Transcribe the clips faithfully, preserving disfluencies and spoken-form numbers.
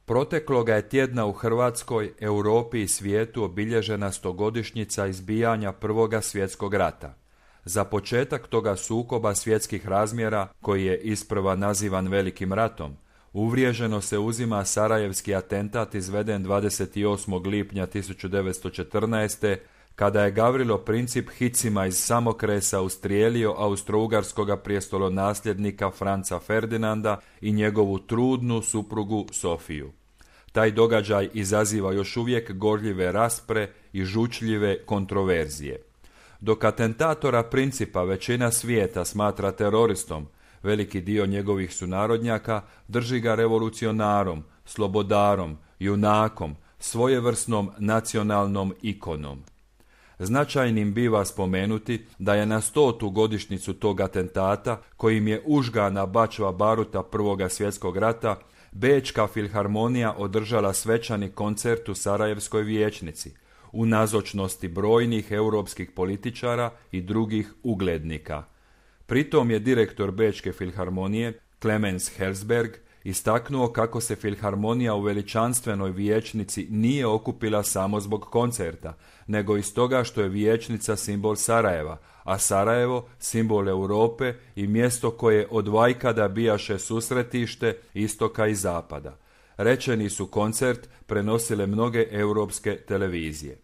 Protekloga je tjedna u Hrvatskoj, Europi i svijetu obilježena stogodišnjica izbijanja Prvoga svjetskog rata. Za početak toga sukoba svjetskih razmjera, koji je isprva nazivan Velikim ratom, uvriježeno se uzima sarajevski atentat izveden dvadeset osmog lipnja tisuću devetsto četrnaeste. kada je Gavrilo Princip hicima iz Samokresa ustrijelio austrougarskoga prijestolonasljednika Franca Ferdinanda i njegovu trudnu suprugu Sofiju. Taj događaj izaziva još uvijek gorljive raspre i žučljive kontroverzije. Dok atentatora Principa većina svijeta smatra teroristom, veliki dio njegovih sunarodnjaka drži ga revolucionarom, slobodarom, junakom, svojevrsnom nacionalnom ikonom. Značajnim biva spomenuti da je na stotu godišnjicu tog atentata, kojim je užgana bačva baruta Prvoga svjetskog rata, Bečka filharmonija održala svečani koncert u Sarajevskoj vijećnici, u nazočnosti brojnih europskih političara i drugih uglednika. Pritom je direktor Bečke filharmonije, Clemens Herzberg, istaknuo kako se filharmonija u veličanstvenoj vijećnici nije okupila samo zbog koncerta, nego i stoga što je vijećnica simbol Sarajeva, a Sarajevo simbol Europe i mjesto koje od vajkada bijaše susretište istoka i zapada. Rečeni su koncert prenosile mnoge europske televizije.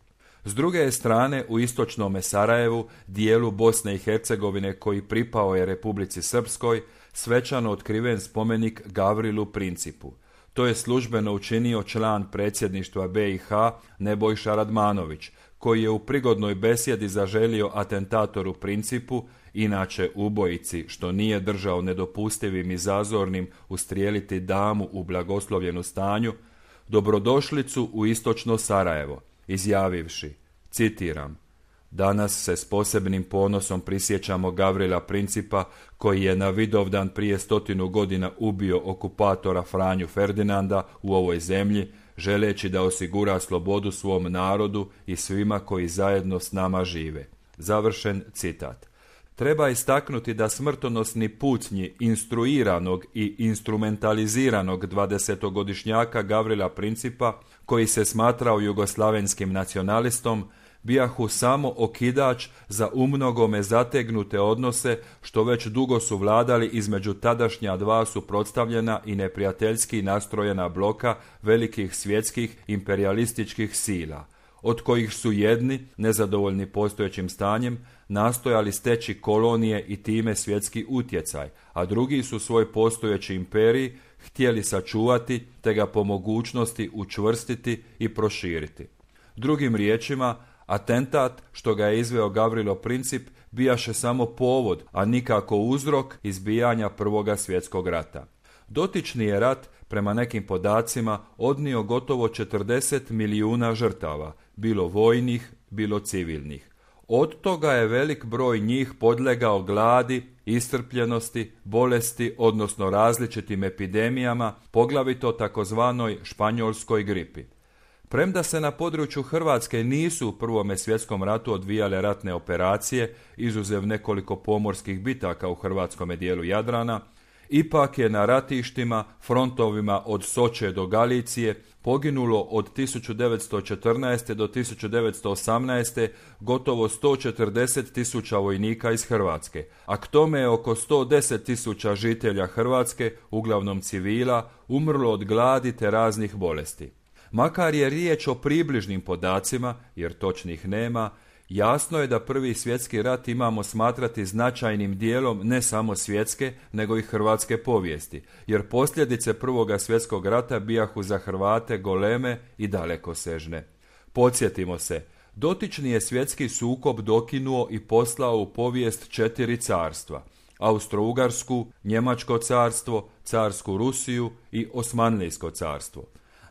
S druge strane, u istočnome Sarajevu, dijelu Bosne i Hercegovine koji pripao je Republici Srpskoj, svečano otkriven spomenik Gavrilu Principu. To je službeno učinio član predsjedništva B i H Nebojša Radmanović, koji je u prigodnoj besjedi zaželio atentatoru Principu, inače ubojici što nije držao nedopustivim i zazornim ustrijeliti damu u blagoslovljenu stanju, dobrodošlicu u istočno Sarajevo, izjavivši, citiram: "Danas se s posebnim ponosom prisjećamo Gavrila Principa, koji je na Vidovdan prije stotinu godina ubio okupatora Franju Ferdinanda u ovoj zemlji, želeći da osigura slobodu svom narodu i svima koji zajedno s nama žive." Završen citat. Treba istaknuti da smrtonosni pucnji instruiranog i instrumentaliziranog dvadesetogodišnjaka Gavrila Principa, koji se smatrao jugoslavenskim nacionalistom, bijahu samo okidač za umnogome zategnute odnose što već dugo su vladali između tadašnja dva suprotstavljena i neprijateljski nastrojena bloka velikih svjetskih imperialističkih sila, od kojih su jedni, nezadovoljni postojećim stanjem, nastojali steći kolonije i time svjetski utjecaj, a drugi su svoj postojeći imperij htjeli sačuvati te ga po mogućnosti učvrstiti i proširiti. Drugim riječima, atentat što ga je izveo Gavrilo Princip bijaše samo povod, a nikako uzrok izbijanja Prvoga svjetskog rata. Dotični je rat, prema nekim podacima, odnio gotovo četrdeset milijuna žrtava, bilo vojnih, bilo civilnih. Od toga je velik broj njih podlegao gladi, iscrpljenosti, bolesti, odnosno različitim epidemijama, poglavito takozvanoj španjolskoj gripi. Premda se na području Hrvatske nisu u Prvome svjetskom ratu odvijale ratne operacije, izuzev nekoliko pomorskih bitaka u hrvatskome dijelu Jadrana, ipak je na ratištima, frontovima od Soče do Galicije poginulo od tisuću devetsto četrnaeste. do tisuću devetsto osamnaeste. gotovo sto četrdeset tisuća vojnika iz Hrvatske, a k tome je oko sto deset tisuća žitelja Hrvatske, uglavnom civila, umrlo od gladi te raznih bolesti. Makar je riječ o približnim podacima, jer točnih nema, jasno je da Prvi svjetski rat imamo smatrati značajnim dijelom ne samo svjetske, nego i hrvatske povijesti, jer posljedice Prvoga svjetskog rata bijahu za Hrvate goleme i dalekosežne. Podsjetimo se, dotični je svjetski sukob dokinuo i poslao u povijest četiri carstva: Austro-Ugarsku, Njemačko carstvo, Carsku Rusiju i Osmanlijsko carstvo.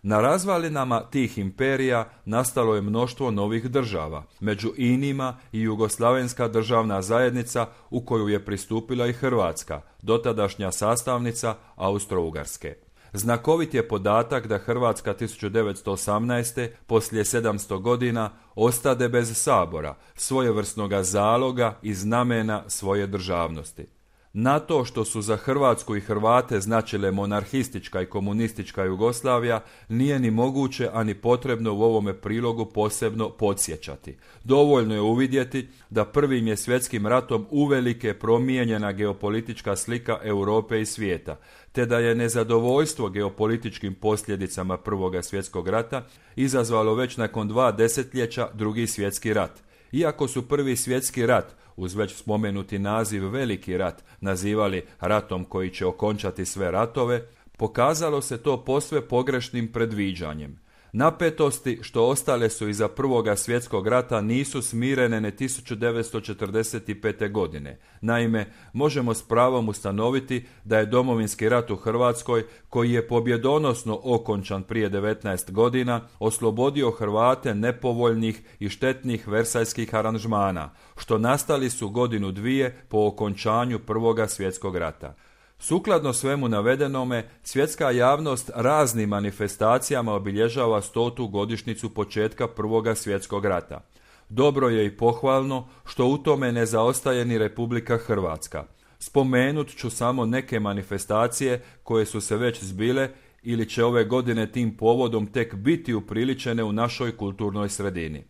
Na razvalinama tih imperija nastalo je mnoštvo novih država, među inima i Jugoslavenska državna zajednica u koju je pristupila i Hrvatska, dotadašnja sastavnica Austro-Ugarske. Znakovit je podatak da Hrvatska tisuću devetsto osamnaeste. poslije sedamsto godina ostade bez sabora, svojevrsnoga zaloga i znamena svoje državnosti. Na to što su za Hrvatsku i Hrvate značile monarhistička i komunistička Jugoslavija nije ni moguće, a ni potrebno u ovome prilogu posebno podsjećati. Dovoljno je uvidjeti da Prvim je svjetskim ratom uvelike promijenjena geopolitička slika Europe i svijeta, te da je nezadovoljstvo geopolitičkim posljedicama Prvoga svjetskog rata izazvalo već nakon dva desetljeća Drugi svjetski rat. Iako su Prvi svjetski rat, uz već spomenuti naziv Veliki rat, nazivali ratom koji će okončati sve ratove, pokazalo se to posve pogrešnim predviđanjem. Napetosti što ostale su iza Prvoga svjetskog rata nisu smirene ne tisuću devetsto četrdeset pete. godine. Naime, možemo s pravom ustanoviti da je Domovinski rat u Hrvatskoj, koji je pobjedonosno okončan prije devetnaest godina, oslobodio Hrvate nepovoljnih i štetnih versajskih aranžmana, što nastali su godinu dvije po okončanju Prvoga svjetskog rata. Sukladno svemu navedenome, svjetska javnost raznim manifestacijama obilježava stotu godišnjicu početka Prvoga svjetskog rata. Dobro je i pohvalno što u tome ne zaostaje ni Republika Hrvatska. Spomenut ću samo neke manifestacije koje su se već zbile ili će ove godine tim povodom tek biti upriličene u našoj kulturnoj sredini.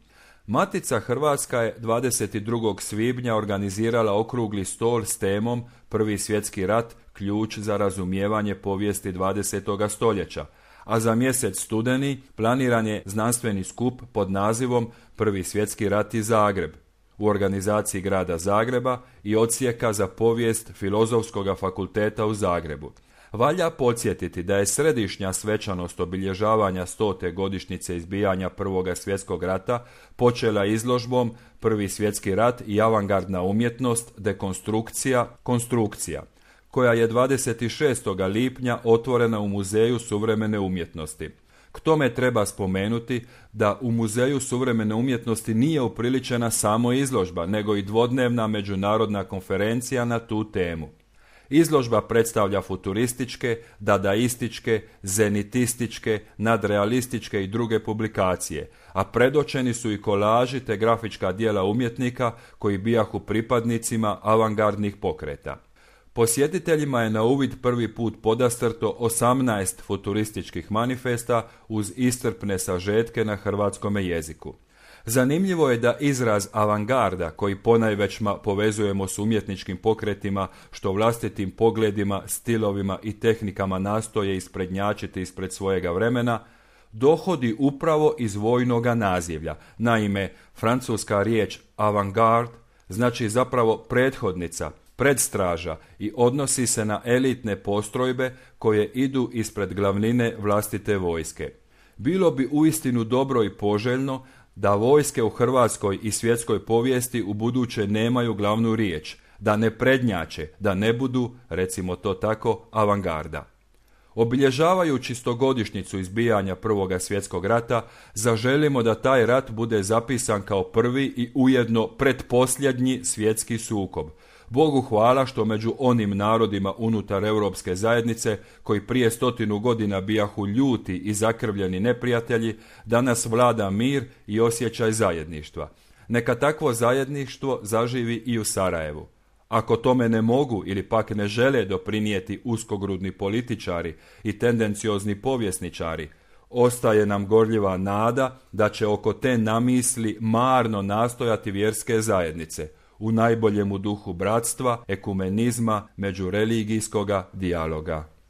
Matica Hrvatska je dvadeset drugog svibnja organizirala okrugli stol s temom Prvi svjetski rat, ključ za razumijevanje povijesti dvadesetog stoljeća, a za mjesec studeni planiran je znanstveni skup pod nazivom Prvi svjetski rat i Zagreb u organizaciji grada Zagreba i odsjeka za povijest Filozofskog fakulteta u Zagrebu. Valja podsjetiti da je središnja svečanost obilježavanja stote godišnjice izbijanja Prvoga svjetskog rata počela izložbom Prvi svjetski rat i avangardna umjetnost, dekonstrukcija, konstrukcija, koja je dvadeset šestog lipnja otvorena u Muzeju suvremene umjetnosti. K tome treba spomenuti da u Muzeju suvremene umjetnosti nije upriličena samo izložba, nego i dvodnevna međunarodna konferencija na tu temu. Izložba predstavlja futurističke, dadaističke, zenitističke, nadrealističke i druge publikacije, a predočeni su i kolaži te grafička djela umjetnika koji bijahu pripadnicima avangardnih pokreta. Posjetiteljima je na uvid prvi put podastrto osamnaest futurističkih manifesta uz iscrpne sažetke na hrvatskome jeziku. Zanimljivo je da izraz avangarda, koji ponajvećma povezujemo s umjetničkim pokretima što vlastitim pogledima, stilovima i tehnikama nastoje isprednjačiti ispred svojega vremena, dohodi upravo iz vojnoga nazivlja. Naime, francuska riječ avantgard znači zapravo prethodnica, predstraža i odnosi se na elitne postrojbe koje idu ispred glavnine vlastite vojske. Bilo bi uistinu dobro i poželjno da vojske u hrvatskoj i svjetskoj povijesti u buduće nemaju glavnu riječ, da ne prednjače, da ne budu, recimo to tako, avangarda. Obilježavajući stogodišnjicu izbijanja Prvoga svjetskog rata, zaželimo da taj rat bude zapisan kao prvi i ujedno pretposljednji svjetski sukob. Bogu hvala što među onim narodima unutar Europske zajednice, koji prije stotinu godina bijahu ljuti i zakrvljeni neprijatelji, danas vlada mir i osjećaj zajedništva. Neka takvo zajedništvo zaživi i u Sarajevu. Ako tome ne mogu ili pak ne žele doprinijeti uskogrudni političari i tendenciozni povjesničari, ostaje nam gorljiva nada da će oko te namisli marno nastojati vjerske zajednice, u najboljemu duhu bratstva, ekumenizma, međureligijskoga dijaloga.